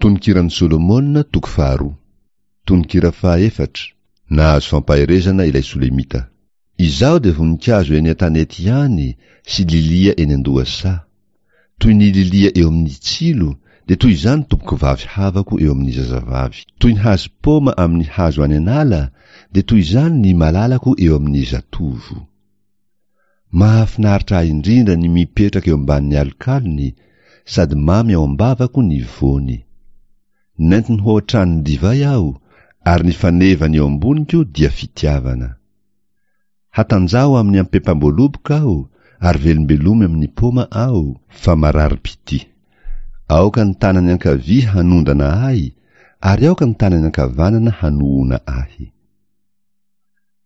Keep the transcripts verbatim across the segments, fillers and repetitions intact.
Tononkiran'i Solomona toko faharoa. Tononkira fahaefatra, nahazo fampaherezana ilay Solemita. Izaho dia voninkazo eny an-tanety ihany sy lilia eny an-dohasaha. Toy ny lilia eo amin'ny tsilo, dia toy izany tompokovavy havako eo amin'ny zazavavy. Toy ny hazo paoma amin'ny hazo any an'ala, dia toy izany ny malalako eo amin'ny zatovo. Mahafinaritra ahy indrindra ny mipetraka eo ambanin'ny alokalony, sady mamy ao am-bavako ny voany. Nentiny ho ao an-tranon'ny divay aho, ary ny fanevany eo amboniko dia fitiavana. Hatanjaho amin'ny ampempam-boaloboka aho, ary velombelomy amin'ny paoma aho, fa mararim-pitia. Aoka ny tanany ankavia hanondana ahy, ary aoka ny tanany ankavanana hanohona ahy.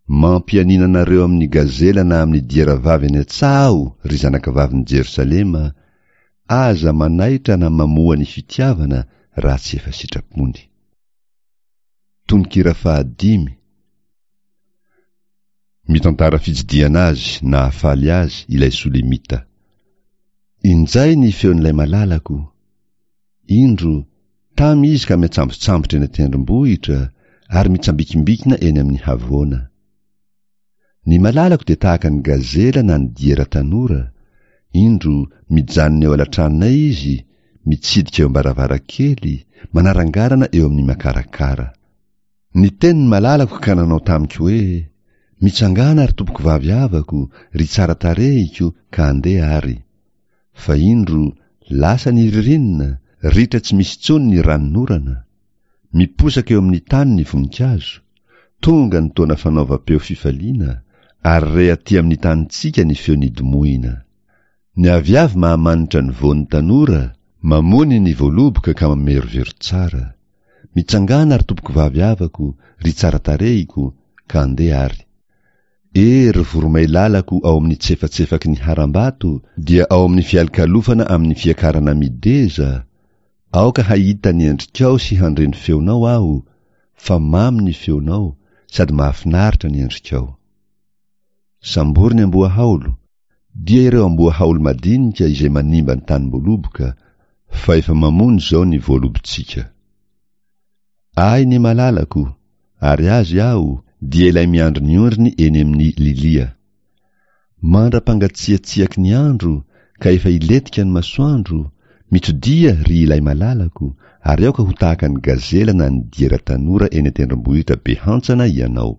Mampianiana anareo amin'ny gazela na amin'ny diera vavy any an-tsaha aho, ry zanakavavin'i Jerosalema, aza manaitra na mamoha ny fitiavana raha tsy efa sitrapony. Tononkira fahadimy. Mitantara fitsidihana azy nahafaly azy ilay Solemita. Injay ny feon'ilay malalako. Indro, tamy izy ka miatsambotsambotra eny an-tendrombohitra ary mitsambikimbikina eny amin'ny havoana. Ny malalako dia tahaka ny gazela na ny diera tanora, indro, mijanona eo alatranonay izy, mitsidika eo am-baravarankely, manarangarana eo amin'ny makarakara. Niteny ny malalako ka nanao tamiko hoe, Mitsangàna ry tompokovavy havako, ry tsara tarehiko, ka andeha ary. Fa indro, lasa ny ririnina, ritra tsy misy intsony ny ranonorana. Miposaka eo amin'ny tany ny voninkazo. Tonga ny taona fanaovam-peo fifaliana, ary re aty amin'ny tanintsika ny feo nidomohina. Ny aviavy mahamanitra ny voan'ny tanora, mamony ny voaloboka ka mamerovero tsara. Mitsangàna ry tompokovavy havako, ry tsara tarehiko, ka andeha ary. E, ry voromailalako ao amin'ny tsefatsefaky ny harambato, dia ao amin'ny fialokalofana amin'ny fiakarana mideza, aoka hahita ny endrikao sy handre ny feonao aho, fa mamy ny feonao, sady mahafinaritra ny endrikao. Sambory ny amboa haolo, dia ireo amboa haolo madinika izay manimba ny tanim-boaloboka, fa efa mamony izao ny voalobontsika. Ahy ny malalako, ary azy aho, dia ilay miandry ny ondriny eny amin'ny lilia. Mandra-pangatsiatsiaky ny andro, ka efa hilentika ny masoandro, mitodiha, ry ilay malalako, ary aoka ho tahaka ny gazela na ny diera tanora eny an-tendrombohitra be hantsana ianao.